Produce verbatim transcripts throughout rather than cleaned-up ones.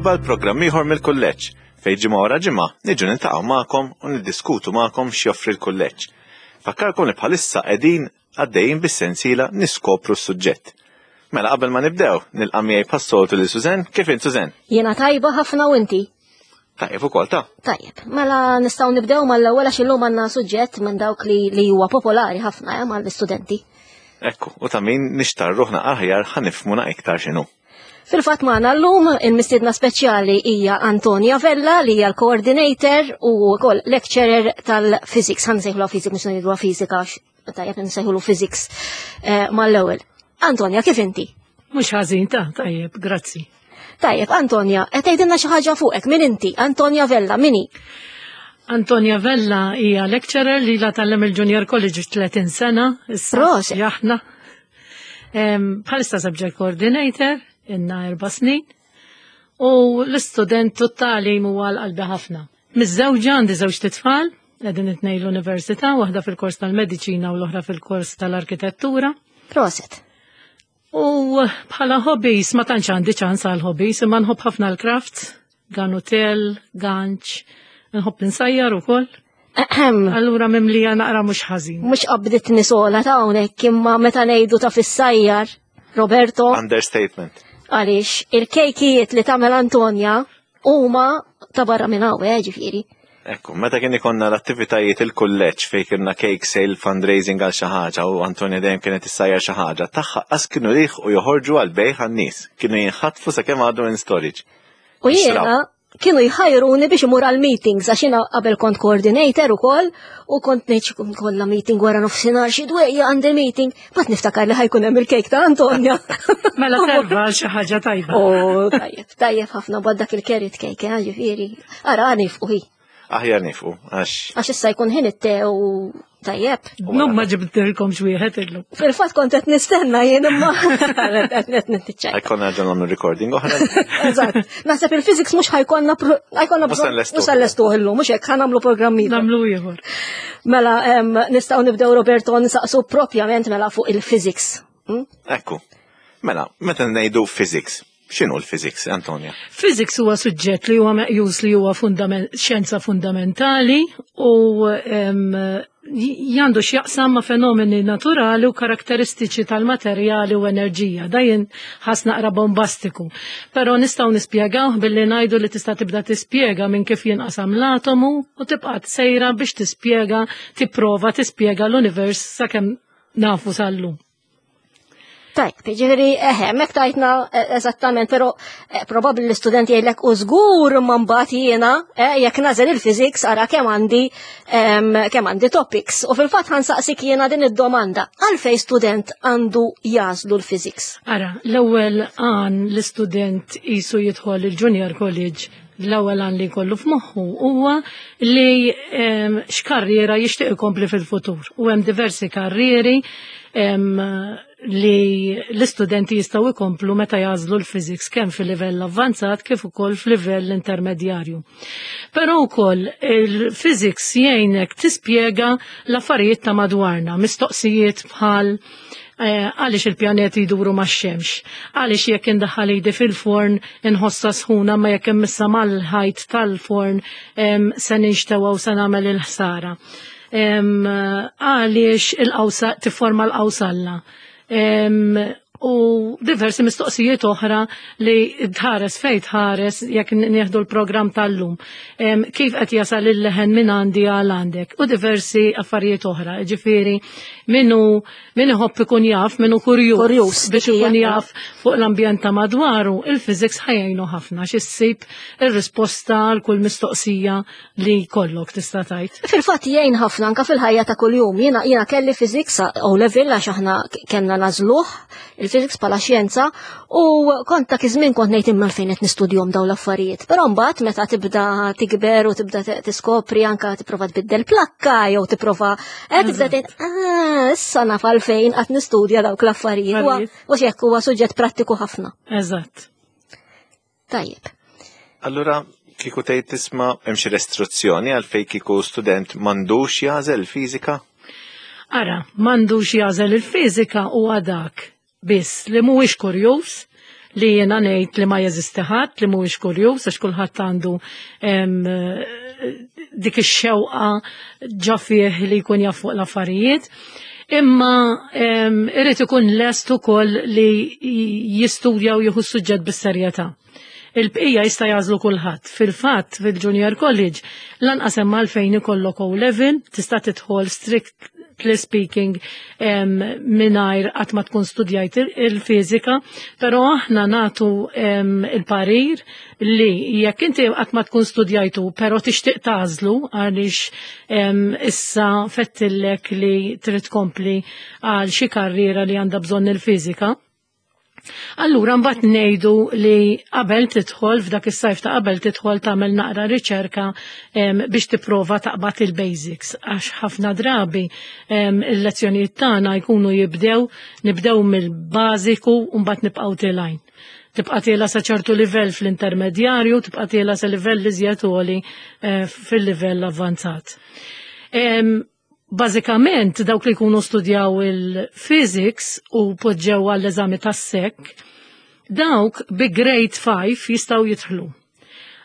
Merħba l-programm ieħor mill-kulleġġ fejn ġimgħa wara ġimgħa niġu niltaqgħu magħkom u niddiskutu magħkom x'joffri l-kulleġġ. Fakkarkom li bħalissa qegħdin għaddejjin bis-sensiela niskopru s-suġġett. Mela qabel ma nibdew, nilqa' miegħi bħas-soltu lil Suzen. Kif int Suzen? Jiena tajba ħafna u inti? Tajjeb ukoll ta' Tajjeb, mela nistgħu nibdew mal-ewwel għax illum għandna suġġett minn dawk li, li huwa popolari ħafna eh, mal-istudenti. Ekku, u ta' min nixtar ruħna aħjar ħa nifhmu iktar x'inhu. Fil-fatt magħna llum il-mistiedna speċjali hija Antonia Vella li hija l-coordinator u wkoll lecturer tal-physics. Ħa nsejħulu physics mhux ngħidu fiżika għax tajjeb nsejħulu physics eh, mal-ewwel. Antonia, kif inti? Mhux ħażin ta' tajjeb, grazzi. Tajjeb, Antonia, qed tgħidilna xi ħaġa fuqek, min inti? Antonia Vella, min hi? Antonia Vella hija lecturer li la tgħallem il-Junior College tletin sena. Issa Proset. Jaħna. Em, Bħalissa subject coordinator, ilna erba' snin. U l-istudent totali huwa l-qalbi ħafna. Miżżewġa għandi żewġ tfal, qegħdin it-tnejn l-università, waħda fil-kors tal-mediċina u l-oħra fil-kors tal-arkitettura. Proset. U bħala hobbies, ma tantx għandi ċans għal hobbies, imma nħobb ħafna l-crafts, ganutel, ganċ, nħobb insajjar ukoll. Ahem. Allura mimlija naqra mhux ħażin. Mhux qabditni sola ta' hawnhekk imma meta ngħidu ta' fissajjar, Roberto, Understatement. għaliex il-kejkijiet li tagħmel Antonia huma ta' barra minn hawn, eh, ġifieri. Ekku, meta kien ikonna l-attivitajiet il-kulleġġ fejn kienna cake sale fundraising għal xi ħaġa u Antonia dejjem kienet issajjar xi ħaġa, tagħha qas kienu riħ u joħorġu għal bejħ għan-nies. Kienu jinħatfu sakemm għadu in storage. U jiena kienu jħajruni biex imur għal meetings għax jiena qabel kont coordinator ukoll u kont ngħid kollha meeting wara nofsinhar xi dwejja għandi meeting, bat niftakar li ħa jkun hemm il-kejk ta' Antonia. Mela serva għal xi ħaġa tajba. Oh, tajjeb, tajjeb ħafna bad dak il-carrot cake, eh, ġifieri. Ara nifqu hi, Aħjar nifqu, għax għax issa jkun ħin it-te u tajjeb. Num ma ġibtilkom xwieħed illum. Fil-fatt kont qed nistenna jien imma qed nitċajta. ħa jkollna nerġgħu nagħmlu recording oħra. Eżatt. Naħseb il-physics mhux ħa jkollna pro- ħa jkollna Mhux se nlestuh. mhux se nlestuh illum, mhux hekk ħa nagħmlu programm ieħor. Nagħmlu ieħor. Mela em, nistgħu nibdew Roberto nsaqsu propjament mela fuq il-physics. Hmm? Ekku. Mela, meta ngħidu physics, x'inhu l-physics, Antonia? Physics huwa suġġett li huwa meqjus li huwa fundament, xjenza fundamentali u em, għandu x'jaqsam ma' fenomeni naturali u karakteristiċi tal-materjali u enerġija. Dajin ħas naqra bombastiku. Però nistgħu nispjegaw billi ngħidu li tista' tibda tispjega minn kif jinqasam l-atomu u tibqa' sejra biex tispjega, tipprova tispjega l-univers sakemm nafu sal-lum. Tajb, ġifieri, eħe, mek tajtna eh, eżattament, pero eh, probabli l-istudenti jgħidlek u żgur ma mbagħad jiena, eh, jekk nagħżel il-physics ara kemm għandi em, kemm għandi topics. U fil-fatt ħa nsaqsik jiena din id-domanda, għalfej student għandu jagħżlu l-physics? Ara, l-ewwel għan l-istudent jisu jidħol il-Junior College, l-ewwel għan li jkollu f'moħħu huwa li em, x'karriera jixtieq ikompli fil-futur. U hemm diversi karrieri em, li l-istudenti jistgħu jkomplu meta jagħżlu l-physics kemm fil-livell avvanzat kif ukoll fil-livell intermedjarju. Però wkoll il-physics jgħinek tispjega l-affarijiet ta' madwarna, mistoqsijiet bħal eh, għaliex il-pjaneti jduru max-xemx, għaliex jekk indaħħal idi fil-forn inħossa sħuna ma jekk immissa mal-ħajt tal-forn em, se ninxtewa u se nagħmel il-ħsara. Em, Għaliex il-qawsa tifforma l-qawsalla. Em, U diversi mistoqsijiet oħra li tħares fej tħares jekk nieħdu l-programm tal-lum. Em, Kif qed jasal il-leħen minn għandi għal għandek u diversi affarijiet oħra. Ġifieri minnu min iħobb ikun jaf, minnu kurjuż Kurjuż, biex dik hija. ikun jaf fuq l-ambjent ta' madwaru, il-physics ħa jgħinu ħafna x'issib ir-risposta għal kull mistoqsija li kollok tista' tgħid. Fil-fatt jgħin ħafna anka fil-ħajja ta' kuljum. Jiena jiena kelli physics O level għax aħna kellna nagħżluh il-physics bħala xjenza u kont dak iż-żmien kont ngħid imma fejn qed nistudjhom dawn l-affarijiet. Però mbagħad meta tibda tikber u tibda t- tiskopri anka tipprova tbiddel plakka jew tipprova eh tibda tgħid ah issa naf għalfejn qed nistudja dawk l-affarijiet. Huwa Affarijiet. u hekk huwa suġġett prattiku ħafna. Eżatt. Tajjeb. Allura, kieku tgħid tisma' hemm xi restrizzjoni għalfejn kieku student m'għandux jagħżel fiżika? Ara, m'għandux jagħżel il-fiżika u dak biss li mhuwiex kurjuż, li jiena ngħid li ma jeżisti ħadd li mhuwiex kurjuż, għax kulħadd għandu dik ix-xewqa ġo fih li jkun jaf fuq l-affarijiet. Imma irid ikun lest ukoll li jistudja u jieħu s-suġġett bis-serjetà. Il-bqija jista' jagħżlu kulħadd. Fil-fatt, fil-Junior College lanqas hemm għalfejn ikollok O level, tista' tidħol, strictly speaking, mingħajr qatt ma tkun studjajt il-fiżika, però aħna nagħtu il-parir li jekk inti qatt ma tkun studjajtu, però tixtieq tagħżlu għaliex issa fettillek li trid tkompli għal xi karriera li għandha bżonn il-fiżika, allura mbagħad ngħidu li qabel tidħol, f'dak is-sajf ta' qabel tidħol, tagħmel naqra riċerka biex tipprova taqbad il-basics, għax ħafna drabi il-lezzjonijiet tagħna jkunu jibdew nibdew mill-bażiku u mbagħad nibqgħu telgħin. Tibqa' tiela' sa ċertu livell fl-intermedjarju, tibqa' tiela' sa livell iżjed għoli eh, fil-livell avvanzat. Bażikament dawk li jkunu studjaw il-physics u poġġew għall-eżami tas-S E C, dawk bi grade five jistgħu jidħlu.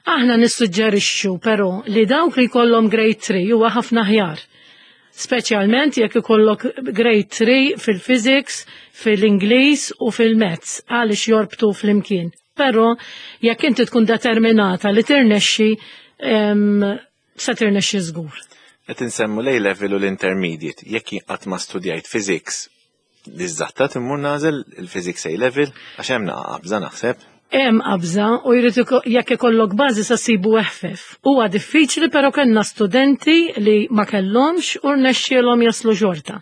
Aħna nissuġġerixxu però li dawk li jkollhom grade three huwa ħafna aħjar. Speċjalment jekk ikollok grade three fil-physics, fil-Ingliż u fil-Maths, għaliex jorbtu flimkien. Però jekk inti tkun determinata li tirnexxi, se tirnexxi żgur. Qed insemmu l level u l-intermediate. Jekk qatt ma studjajt physics, Diżatta timmur nagħżel il-physics A level, għax hemm qabża naħseb. Hemm qabża u jrid jekk ikollok bażi sa sibu eħfef. Huwa diffiċli, però kellna studenti li ma kellhomx u rnexxielhom jaslu xorta.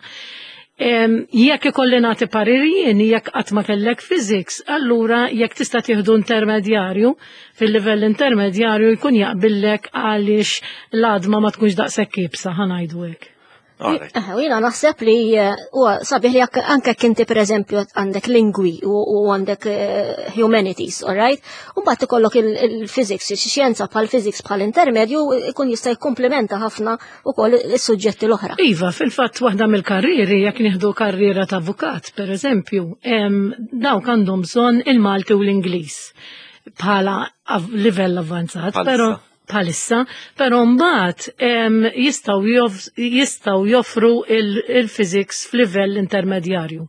Jekk ikolli nagħti parir jien, jekk qatt ma kellek physics, allura jekk tista' tieħdu intermedjarju, fil-livell intermedjarju jkun jaqbillek għaliex l-għadma ma tkunx daqshekk iebsa, ħa ngħidu hekk. U jiena naħseb li eh, huwa sabiħ li anke kinti, per eżempju, għandek lingwi u għandek eh, humanities, all right? U mbagħad ikollok il-physics, xjenza bħal physics bħal intermedju, ikun jista' jikkomplementa ħafna ukoll is-suġġetti l-oħra. Iva, fil-fatt waħda mill-karrieri, jekk nieħdu karriera ta' avukat, per eżempju, dawk għandhom bżonn il-Malti u l-Ingliż bħala livell avvanzat, però bħalissa, però mbagħad jistgħu jistgħu joffru il-physics f'livell intermedjarju.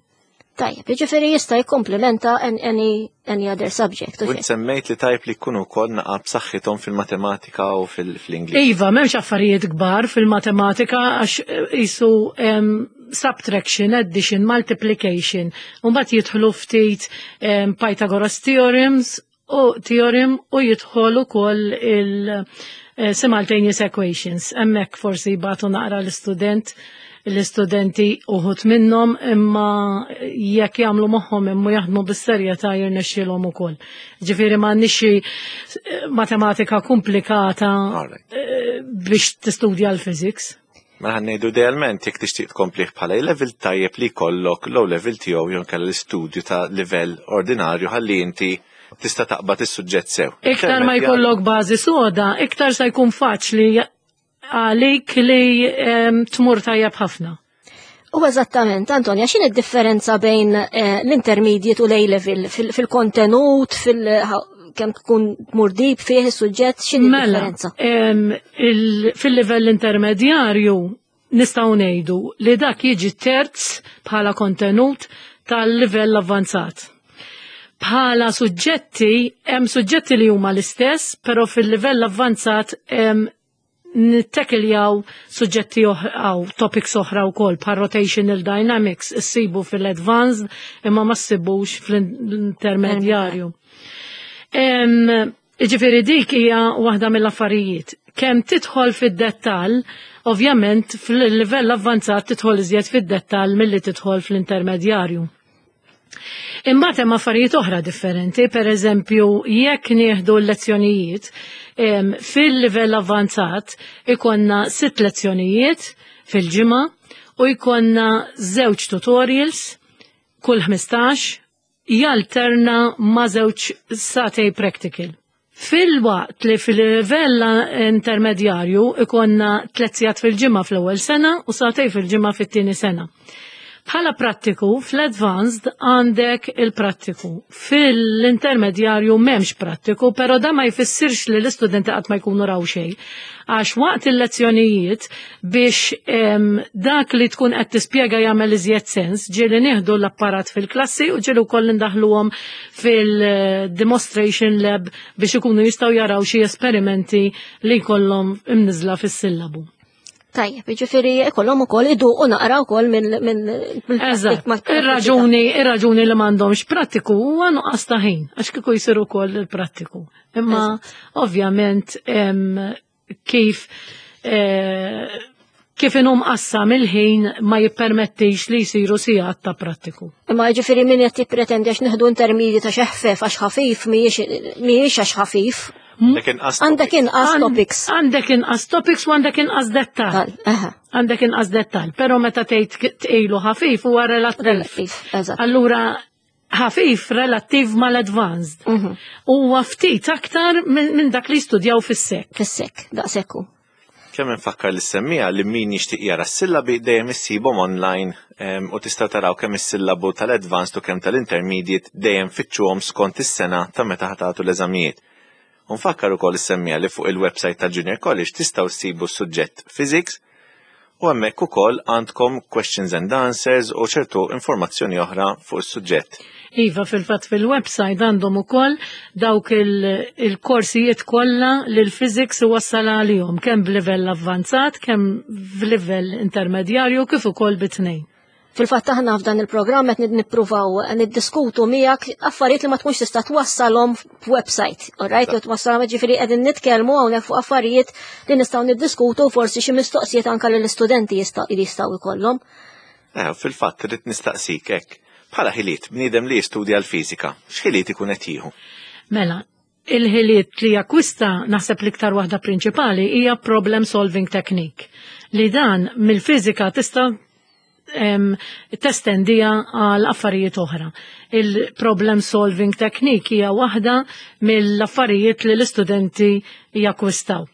Tajjeb, jiġifieri jista' jikkomplementa any, any other subject. U semmejt li tajb li jkunu wkoll naqa b'saħħithom fil-matematika u fil-Ingliż. Iva, m'hemmx affarijiet kbar fil-matematika għax jisu subtraction, addition, multiplication, u mbagħad jidħlu ftit Pythagoras theorems u theorem u jidħol ukoll il-simultaneous equations. Hemmhekk forsi jbatu naqra l-istudent l-istudenti uħud minnhom, imma jekk jagħmlu moħħhom imma jaħdmu bis-serjetà jirnexxielhom ukoll. Ġifieri m'għandniex xi matematika komplikata eh, biex tistudja l-physics. Mela ħa ngħidu, idealment jekk tixtieq tkomplih bħala level, tajjeb li jkollok low level tiegħu jew kellha l-istudju ta' livell ordinarju ħalli inti tista' taqbad is-suġġett sew. Iktar ma jkollok bażi soda, iktar se jkun faċli għalik li em, tmur tajjeb ħafna. U eżattament, Antonia, x'in id-differenza bejn eh, l-intermediate u l-A-level fil-kontenut, fil kemm tkun tmur deep fih is-suġġett, x'in Mela, id-differenza? em, il- fil-livell intermedjarju nistgħu ngħidu li dak jiġi terz bħala kontenut tal-livell avvanzat. Bħala suġġetti, hemm suġġetti li huma l-istess, però fil-livell avvanzat hemm nittekiljaw suġġetti oħra, topics oħra wkoll, bħal rotational dynamics, issibu fil-advanced imma ma ssibux fl-intermedjarju. Em, Ġifieri dik hija waħda mill-affarijiet. Kemm tidħol fid-dettall, ovvjament fil-livell avvanzat tidħol iżjed fid-dettall milli tidħol fl-intermedjarju. Imbagħad hemm affarijiet oħra differenti, per eżempju, jekk nieħdu l-lezzjonijiet, em, fil-livell avvanzat ikonna sitt lezzjonijiet fil-ġimgħa u jkollna żewġ tutorials kull ħmistax jalterna ma' żewġ sagħtejn practical. Fil-waqt li fil-livell intermedjarju ikonna tliet sigħat fil-ġimgħa fl-ewwel sena u sagħtejn fil-ġimgħa fit-tieni sena. Bħala prattiku, fl-advanced għandek il-prattiku. Fil-intermedjarju m'hemmx prattiku, pero da ma jfissirx li l-istudenti qatt ma jkunu raw xejn. Għax waqt il-lezzjonijiet biex em, dak li tkun qed tispjega jagħmel iżjed sens, ġieli nieħdu l-apparat fil-klassi u ġieli wkoll indaħluhom fil-demonstration lab biex ikunu jistgħu jaraw xi esperimenti li jkollhom imniżla fis-sillabu. Tajjeb, jiġifieri ikollhom ukoll iduqu naqra wkoll minn minn Eżatt, ir-raġuni ir-raġuni li m'għandhomx prattiku huwa nuqqas ta' ħin, għax kieku jsir ukoll il-prattiku. Imma ovvjament em, kif eh, kif inhu mqassam il-ħin ma jippermettix li jsiru sigħat ta' prattiku. Imma jiġifieri min qed jippretendi għax nieħdu intermediate għax eħfef, għax ħafif, mhijiex mhijiex għax ħafif. Għandek inqas Għandek topics. inqas topics. Għandek inqas topics u għandek inqas dettal. Tal, eħe, Għandek inqas dettal, però meta tgħid tqejlu ħafif huwa relattiv. Relattiv, eżatt. Allura ħafif relattiv mal-advanced. Mhm. Huwa ftit aktar minn min dak li studjaw fis-sek. Fis-sek, daqshekk hu. Kemm infakkar lis-semmiegħa li min jixtieq jara s-sillabi dejjem issibhom online em, u tista' taraw kemm is-sillabu tal-advanced u kemm tal-intermediate, dejjem fittxuhom skont is-sena ta' meta ħa tagħtu l-eżamijiet. U nfakkar ukoll is-semmiegħa li fuq il-website tal-Junior College tistgħu ssibu s-suġġett Physics u hemmhekk ukoll għandkom questions and answers u ċertu informazzjoni oħra fuq is-suġġett. Iva, fil-fatt fil-website għandhom ukoll dawk il- il-korsijiet kollha li l-physics iwassal għalihom, kemm b'livell avvanzat, kemm b'livell intermedjarju, kif ukoll bit-tnejn. Fil-fatt aħna f'dan il-programm qed nippruvaw niddiskutu miegħek affarijiet li ma tkunx tista' twassalhom f'website. Alright, jew twassalhom, ġifieri qegħdin nitkellmu hawnhekk fuq affarijiet li nistgħu niddiskutu, forsi xi mistoqsijiet anke lill-istudenti jista' jistgħu jkollhom. Eh, fil-fatt irrid nistaqsik hekk. Bħala ħiliet, bniedem li jistudja l-fiżika, x'ħiliet ikun qed jieħu? Mela, il-ħiliet li jakkwista, naħseb l-iktar waħda prinċipali hija problem solving technique. Li dan mill-fiżika tista' em, testendija għal affarijiet oħra. Il-problem solving technique hija waħda mill-affarijiet li l-istudenti jakkwistaw.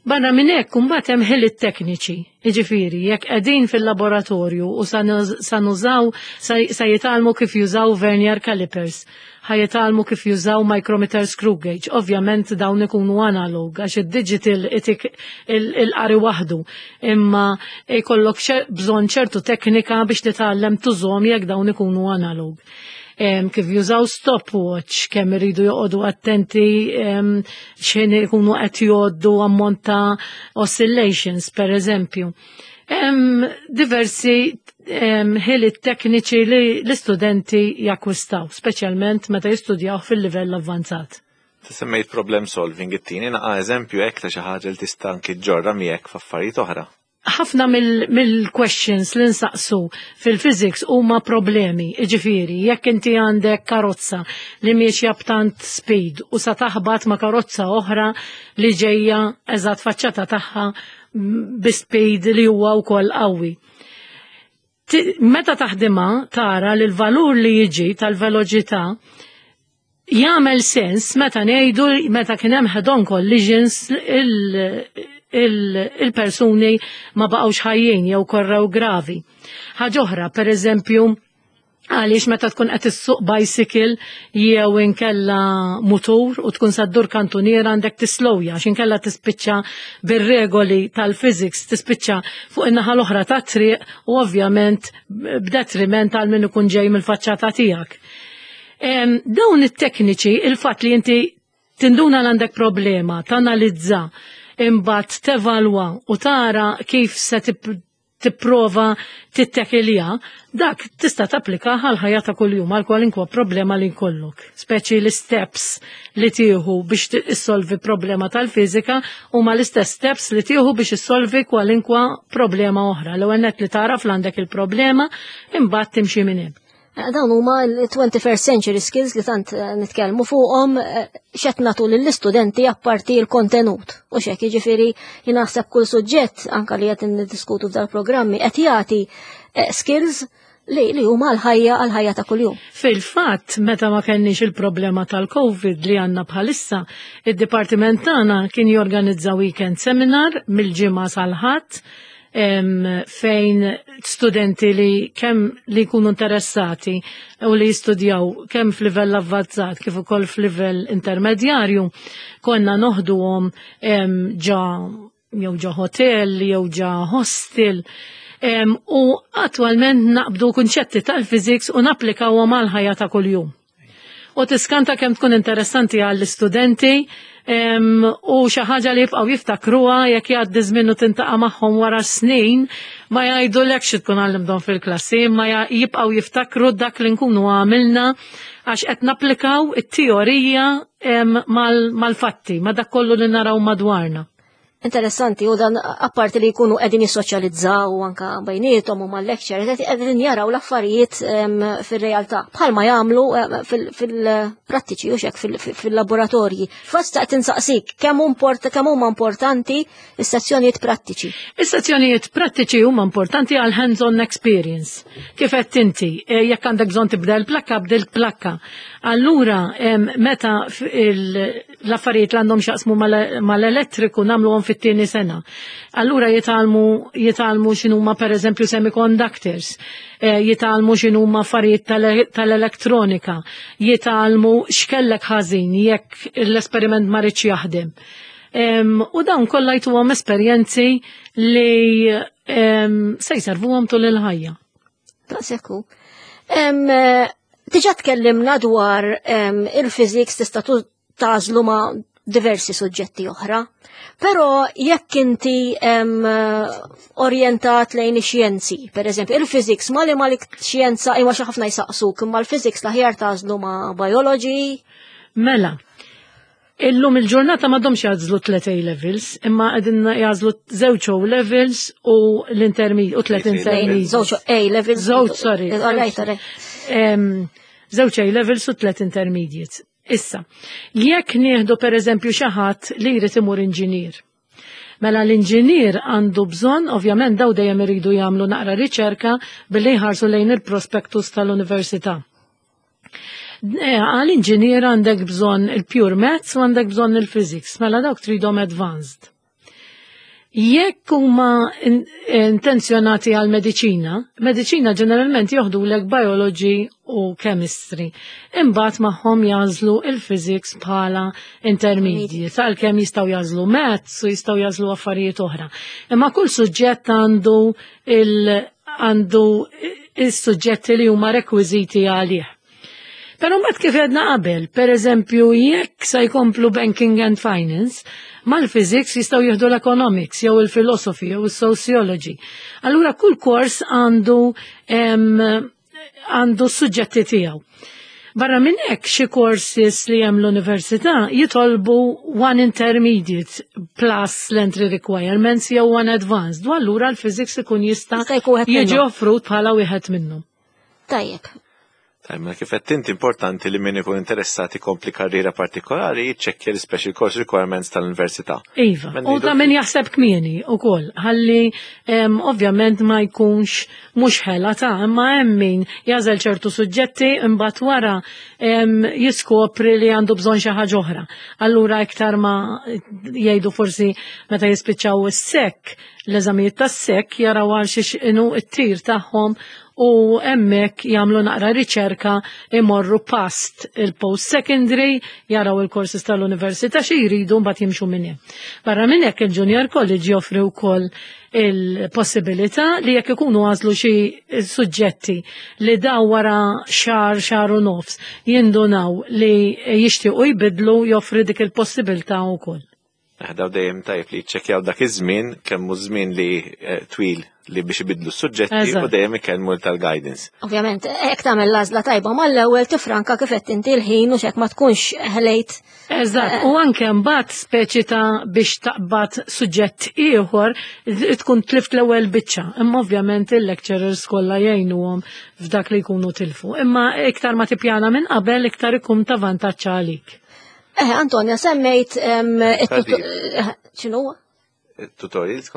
Barra minn hekk imbagħad hemm ħiliet tekniċi. Jiġifieri, jekk qegħdin fil-laboratorju u sa nużaw sa jitgħallmu kif jużaw vernier calipers, ħa jitgħallmu kif jużaw micrometer screw gauge. Ovvjament dawn ikunu analog għax id-digital itik il-qari waħdu. Imma jkollok bżonn ċertu teknika biex titgħallem tużhom jekk dawn ikunu analog. Em, kif jużaw stopwatch, kemm iridu joqogħdu attenti x'ħin ikunu qed jgħoddu ammont ta' oscillations, per eżempju. Hemm diversi ħiliet tekniċi li l-istudenti jakkwistaw, speċjalment meta jistudjaw fil-livell avvanzat. Semmejt problem solving, it-tieni naqa eżempju hekk ta' xi ħaġa li tista' anki ġġorrha miegħek f'affarijiet oħra. Ħafna mill-questions li nsaqsu fil-physics huma problemi, ġifieri, jekk inti għandek karozza li miexja b'tant speed u sa taħbat ma' karozza oħra li ġejja eżatt faċċata tagħha bi speed li huwa wkoll qawwi. Meta taħdimha tara li l-valur li jiġi tal-veloċità jagħmel sens meta ngħidu meta kien hemm head-on collisions, il-persuni ma baqgħux ħajjin jew korrew gravi. Ħaġa oħra, per eżempju, għaliex meta tkun qed issuq bicycle jew inkella mutur u tkun sa ddur kantuniera għandek tislowja, għax inkella tispiċċa bir-regoli tal-physics tispiċċa fuq in-naħa l-oħra tat-triq u ovvjament b'detriment għal min ikun ġej mill-faċċata tiegħek. Dawn it-tekniċi, il-fatt li inti tinduna l għandek problema, tanalizza, imbagħad tevalwa u tara kif se tipprova tittekilja, dak tista' tapplika għal ħajja ta' kuljum, għal kwalinkwa problema li jkollok. Speċi l-steps li tieħu biex issolvi problema tal-fiżika huma l-istess steps li tieħu biex issolvi kwalinkwa problema oħra. L-ewwel nett li tara għandek il-problema, imbagħad timxi minn hemm. Eh, dawn huma l-twenty-first century skills li tant eh, nitkellmu fuqhom, eh, x'qed nagħtu lill-istudenti apparti l-kontenut. U xek, jiġifieri naħseb kull suġġett anka li qed niddiskutu f'dal programmi qed jagħti skills li li huma għal-ħajja għal-ħajja ta' kuljum. Fil-fatt, meta ma kenniex il-problema tal-Covid li għandna bħalissa, id-dipartiment tagħna kien jorganizza weekend seminar mill-Ġimgħa sal-Ħadd. Fejn studenti li kemm li jkunu interessati u li jistudjaw kemm f'livell avvanzat kif ukoll f'livell intermedjarju, konna noħduhom ġa jew ġa hotel jew ġa hostel. U attwalment naqbdu kunċetti tal-physics u napplikawhom għal ħajja ta' kuljum. U tiskanta kemm tkun interessanti għall-istudenti u xi ħaġa li jibqgħu jiftakruha. Jekk jgħaddi żmien u tiltaqa' magħhom wara snin, ma jgħidulekx xi tkun għallimthom fil-klassi, ma jibqgħu jiftakru dak li nkunu għamilna għax qed napplikaw it-teorija mal-fatti, ma dak kollu li naraw madwarna. Interessanti, u dan apparti li jkunu qegħdin jissoċjalizzaw anka bejniethom u mal-lecture, qegħdin jaraw l-affarijiet fir-realtà bħalma jagħmlu fil-prattiċi u xek fil-laboratorji. Fast taqt insaqsik kemm kemm huma importanti is-sezzjonijiet prattiċi? Is-sezzjonijiet prattiċi huma importanti għal hands-on experience. Kif qed inti, e, jekk għandek bżonn tibdel plakka, bdil plakka. Allura, meta l-affarijiet li għandhom x'jaqsmu mal-elettriku nagħmluhom fit-tieni sena. Allura jitgħallmu jitgħallmu x'inhuma, pereżempju, semiconductors, eh, jitgħallmu x'inhuma affarijiet tal-elettronika, jitgħallmu x'kellek ħażin jekk l-esperiment ma ridx jaħdem. U dawn kollha jtuhom esperjenzi li se jservuhom tul il-ħajja. Daqshekk. Diġà tkellimna dwar il-physics tista' tagħżlu ma' diversi suġġetti oħra. Però jekk inti orientat lejn ix-xjenzi, per eżempju, il-physics ma li ma li xjenza imma xi ħafna jsaqsuk, imma l-physics l-aħjar tagħżlu ma' biology. Mela, illum il-ġurnata m'għadhomx jagħżlu tliet A levels, imma qegħdin jagħżlu żewġ O levels u l-intermediate u tliet intermediate. Żewġ A levels. Żewġ, sorry. All right, all right. Żewġ A levels u tliet intermediates. Issa, jekk nieħdu per eżempju xi ħadd li jrid imur inġinier. Mela l-inġinier għandu bżonn, ovvjament daw dejjem iridu jagħmlu naqra riċerka billi jħarsu lejn il-prospektus tal-università. Eh, għal-inġinier għandek bżonn il-pure maths u għandek bżonn il-physics, mela dawk tridhom advanced. Jekk huma intenzjonati għal mediċina, mediċina ġeneralment joħdulek biology u chemistry. Imbagħad magħhom jagħżlu il-physics bħala intermediate, għalkemm jistgħu jagħżlu maths u jistgħu jagħżlu affarijiet oħra. Imma kull suġġett għandu il għandu il-suġġetti li huma rekwiżiti għalih. Pero mbagħad kif għedna qabel, per eżempju, jekk sa jkomplu banking and finance, mal-physics jistgħu jieħdu l-economics, jew il-philosophy, jew il-sociology. Allura kull kors għandu għandu suġġetti tiegħu. Barra minn hekk, xi courses li hemm l-università jitolbu one intermediate plus l-entry requirements jew one advanced. U allura l-physics ikun jista' jiġi offrut bħala wieħed minnhom. Tajjeb. Tajjeb, ma kif qed inti, importanti li min ikun interessat ikompli karriera partikolari jiċċekkja l-special course requirements tal-università. Iva, u ta' min jaħseb kmieni ukoll, ħalli ovvjament ma jkunx mhux ħela ta' imma hemm min jagħżel ċertu suġġetti, imbagħad wara jiskopri li għandu bżonn xi ħaġa oħra. Allura iktar ma jgħidu forsi meta jispiċċaw is-S E C, l-eżamijiet tas-S E C, jaraw għal xiex inhu t-tir tagħhom u hemmhekk jagħmlu naqra riċerka, imorru past il-post secondary, jaraw il-courses tal-università xi jridu, mbagħad jimxu minn hemm. Barra minn hekk, il-Junior College joffri wkoll il-possibilità li jekk ikunu għażlu xi suġġetti li daw wara xahar, xahar u nofs jindunaw li jixtiequ jbidlu, joffri dik il-possibilità wkoll. Daw dejjem tajb li jiċċekkjaw dak iż-żmien, kemm hu żmien li eh, twil li biex ibidlu s-suġġetti u dejjem ikellmu tal-guidance. Ovvjament, hekk tagħmel l-għażla tajba mal-ewwel tifranka, kif qed inti, l-ħin u xek ma tkunx ħlejt. Eżatt, u anke mbagħad speċi ta' biex taqbad suġġett ieħor tkun tlift l-ewwel biċċa. Imma ovvjament il-lecturers kollha jgħinuhom f'dak li jkunu tilfu. Imma iktar ma tippjana minn qabel, iktar ikun ta' vantaġġ għalik. Eh, Antonia, semmejt x'inhu? Tutorials?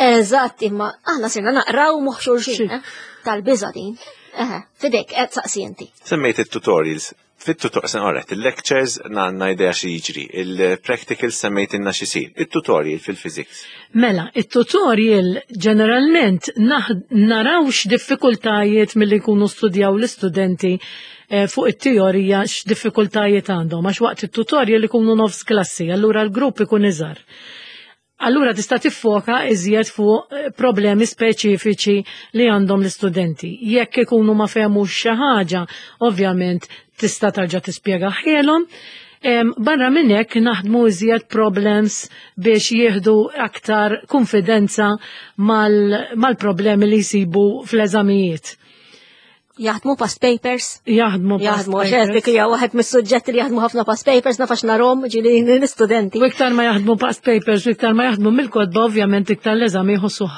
Eżatt, imma aħna sirna naqraw moħħ xulxin, eh, tal-biża din. Eh, fidejk, qed saqsi inti. Semmejt it-tutorials. Fit-tutorial, alright, il-lectures għandna idea xi jiġri, il-practical semmejtilna x'isir, il-tutorial fil-physics. Mela, il-tutorial ġeneralment naraw x'diffikultajiet milli jkunu studjaw l-istudenti eh, fuq it-teorija, x'diffikultajiet għandhom, għax waqt il-tutorial ikunu nofs klassi, allura l-grupp ikun iżgħar. Allura tista' tiffoka iżjed fuq eh, problemi speċifiċi li għandhom l-istudenti. Jekk ikunu ma fehmux xi ħaġa, ovvjament tista' tarġa' tispjegahielhom. Barra minn hekk naħdmu iżjed problems biex jieħdu aktar konfidenza mal-problemi li jsibu fl-eżamijiet. Jaħdmu past papers? Jaħdmu past Jaħdmu, għax dik hija waħed mis-suġġetti li jaħdmu ħafna past papers, naf għax narahom ġieli l-istudenti. U iktar ma jaħdmu past papers, u iktar ma jaħdmu mill-kotba, ovvjament iktar l-eżami jħossu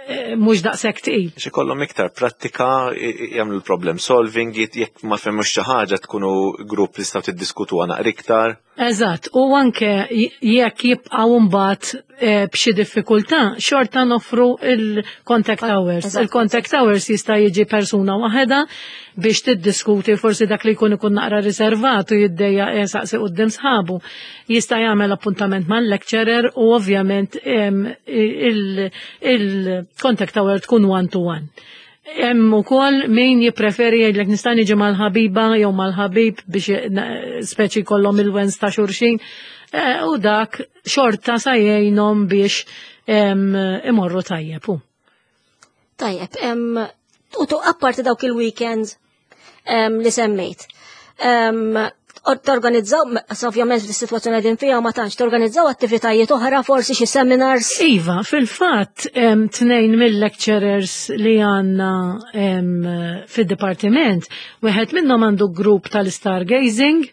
eh, mhux daqshekk tqil. Xi kollhom iktar prattika, jagħmlu l-problem solving, jekk ma fehmux xi ħaġa tkunu grupp li tistgħu tiddiskutu naqra iktar. Eżatt, u anke jekk jibqgħu mbagħad eh, b'xi diffikultà, xorta noffru il-contact hours. Il-contact hours jista' jiġi persuna waħedha biex tiddiskuti forsi dak li jkun ikun naqra riservat u jiddejjaq jsaqsi quddiem sħabu. Jista' jagħmel appuntament mal-lecturer u ovvjament il-contact hour tkun one to one. Hemm ukoll min jippreferi jgħidlek nista' niġi mal-ħabiba jew mal-ħabib biex speċi kollhom il-wens ta' xulxin. Eh, u dak xorta sa jgħinhom biex imorru tajjeb. Tajjeb, u tu apparti dawk il-weekends li semmejt. Torganizzaw, ovvjament fis-sitwazzjoni qegħdin fiha ma tantx, torganizzaw attivitajiet oħra, forsi xi seminars? Iva, fil-fatt tnejn mill-lecturers li għandna fid-dipartiment, wieħed minnhom għandu grupp tal-stargazing,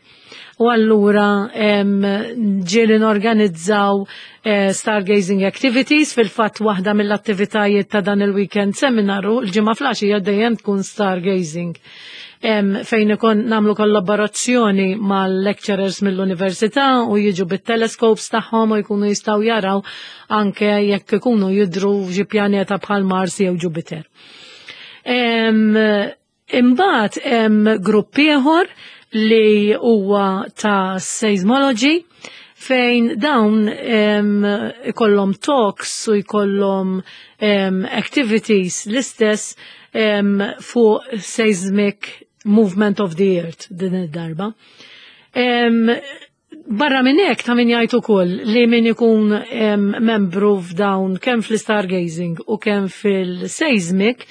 u allura ġieli norganizzaw eh, stargazing activities. Fil-fatt waħda mill-attivitajiet ta' dan il-weekend seminaru l-ġimgħa filgħaxija dejjem tkun stargazing, fejn ikun nagħmlu kollaborazzjoni mal-lecturers mill-università u jiġu bit-telescopes tagħhom u jkunu jistgħu jaraw anke jekk ikunu jidru xi pjaneta bħal Mars jew Jupiter. Imbagħad hemm grupp ieħor li huwa ta' seismology, fejn dawn ikollhom talks u jkollhom activities l-istess fuq seismic movement of the earth din id-darba. Barra minn hekk ta' min jgħid ukoll li min ikun membru f'dawn, kemm fl-stargazing u kemm fil-seismic,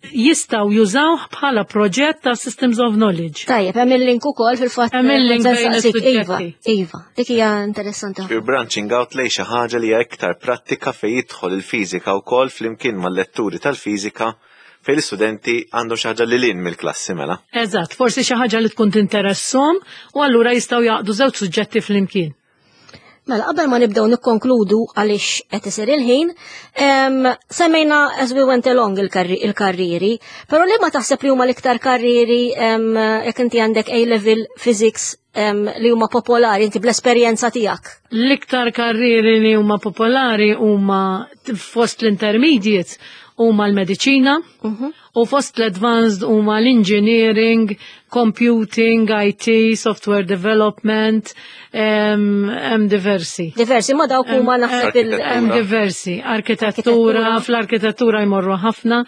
jistgħu jużawh bħala proġett ta' Systems of Knowledge. Tajjeb, hemm il-link ukoll fil-fatt. Hemm il-link bejn Iva, iva, dik hija interessanti. You're branching out lejn xi ħaġa li hija iktar prattika fejn jidħol il-fiżika wkoll flimkien mal-letturi tal-fiżika, fejn l-istudenti għandhom xi ħaġa lil hinn mill-klassi mela. Eżatt, forsi xi ħaġa li tkun tinteressom u allura jistgħu jaqdu żewġ suġġetti flimkien. Mela, qabel ma nibdew nikkonkludu għaliex qed isir il-ħin, semmejna as we went along il-karriri, però li ma taħseb li huma l-iktar karriri, jekk inti għandek A-level physics, li huma popolari, inti bl-esperjenza tiegħek? L-iktar karriri li huma popolari huma fost l-intermediate huma l-mediċina mhm. u fost l-advanced huma l-engineering, computing, I T, software development, hemm diversi. Diversi, ma dawk huma naħseb il- Hemm diversi, arkitettura, fl-arkitettura jmorru ħafna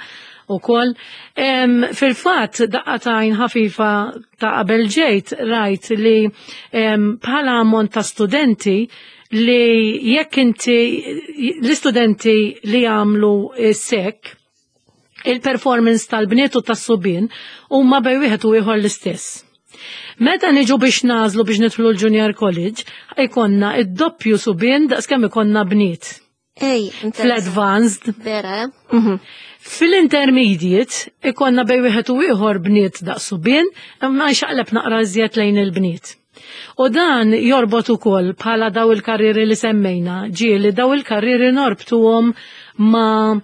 ukoll. Fil-fatt, daqqa t'għajn ħafifa ta' qabel ġejt rajt li bħala ammont ta' studenti li jekk inti l-istudenti li jagħmlu sek, il-performance tal-bniet u tas-subien huma bej wieħed u ieħor l-istess. Meta niġu biex nagħżlu biex nidħlu l-Junior College, ikonna id-doppju subien daqs kemm ikonna bniet. Ej, Fl-advanced. Vera, eh? Mhm. Fil-intermediate ikonna bej wieħed u ieħor bniet daqs subien, imma jxaqleb naqra iżjed lejn il-bniet. U dan jorbot ukoll bħala daw il-karriri li semmejna, ġieli daw il-karriri norbtuhom ma'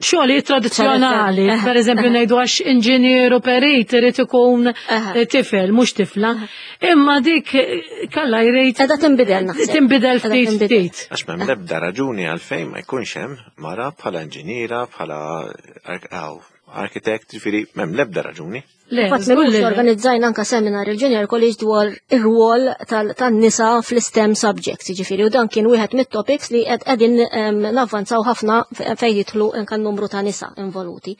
xogħli tradizzjonali, per eżempju ngħidu għax inġinier u perit irid ikun tifel, mhux tifla. Imma dik kalla jrid Qiegħda tinbidel naħseb. Tinbidel ftit ftit. Għax m'hemm l-ebda raġuni għalfejn ma jkunx hemm mara bħala inġiniera, bħala architect, ġifieri m'hemm l-ebda raġuni. Le, Fatt żgur m'ilux li le. Organizzajna anka seminar il-Junior College dwar ir-rwol tan-nisa fl-STEM subjects, ġifieri, u dan kien wieħed mit-topics li qed qegħdin em, navvanzaw ħafna fejn jidħlu anka n-numru ta' nisa involuti.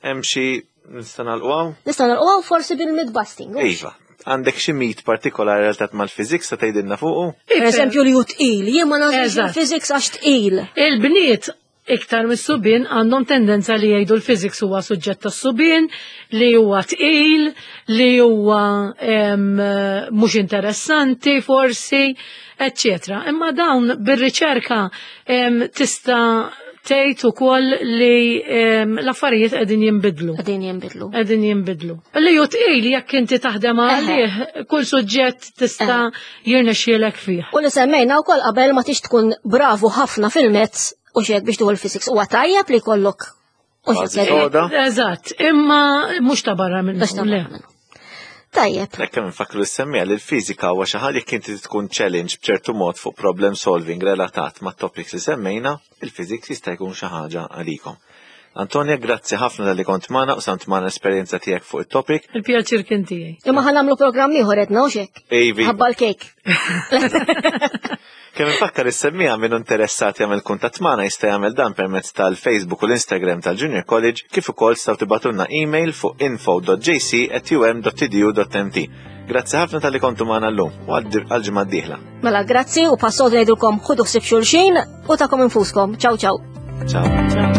Hemm xi nista' nagħlqu hawn? Nista' nagħlqu forsi bil-myth busting. Hux? Iva, għandek xi mit partikolari relatat mal-physics sa tgħidilna fuqu? Per eżempju li hu tqil, jien ma nagħżilx Eżatt. il-physics għax tqil. Il-bniet iktar mis-subien għandhom tendenza li jgħidu l-physics huwa suġġett tas-subien, li huwa tqil, li huwa em, mhux interessanti forsi, eccetera. Imma dawn bir-riċerka em, tista' tgħid ukoll li em, l-affarijiet qegħdin jinbidlu. Qegħdin jinbidlu. Qegħdin jinbidlu. Li hu tqil jekk inti taħdem għalih, kull suġġett tista' jirnexxielek fih. U li semmejna wkoll qabel, ma tix tkun bravu ħafna fil-maths u xek biex tieħu l-physics. Huwa tajjeb li jkollok u Bażi xek soda. Eżatt, imma mhux ta' barra minnu. Biex ta' Le. minnu. Tajjeb. Hekk kemm nfakru lis-semmiegħa li l-fiżika huwa xi ħaġa jekk inti tkun challenge b'ċertu mod fuq problem solving relatat ma' topics li semmejna, il-physics jista' jkun xi ħaġa għalikom. Antonia, grazzi ħafna talli kont magħna u qsamt magħna l-esperjenza tiegħek fuq it-topic. Il-pjaċir kien tiegħi. Imma ħa nagħmlu programm ieħor edna u xek. Ejvi, Ħabba l-kejk. Kemm infakkar is-semmiegħa, min interessat jagħmel kuntatt magħna jista' jagħmel dan permezz tal-Facebook u l-Instagram tal-Junior College, kif ukoll tistgħu tibagħtulna email fuq info dot J C at U M dot E D U dot M T. Grazzi ħafna talli kontu magħna llum u għal ġimgħa d-dieħla. Mela grazzi u passodu ngħidulkom ħudu ħsieb xulxin u tagħkom infuskom. Ciao ciao. Ciao. Ciao.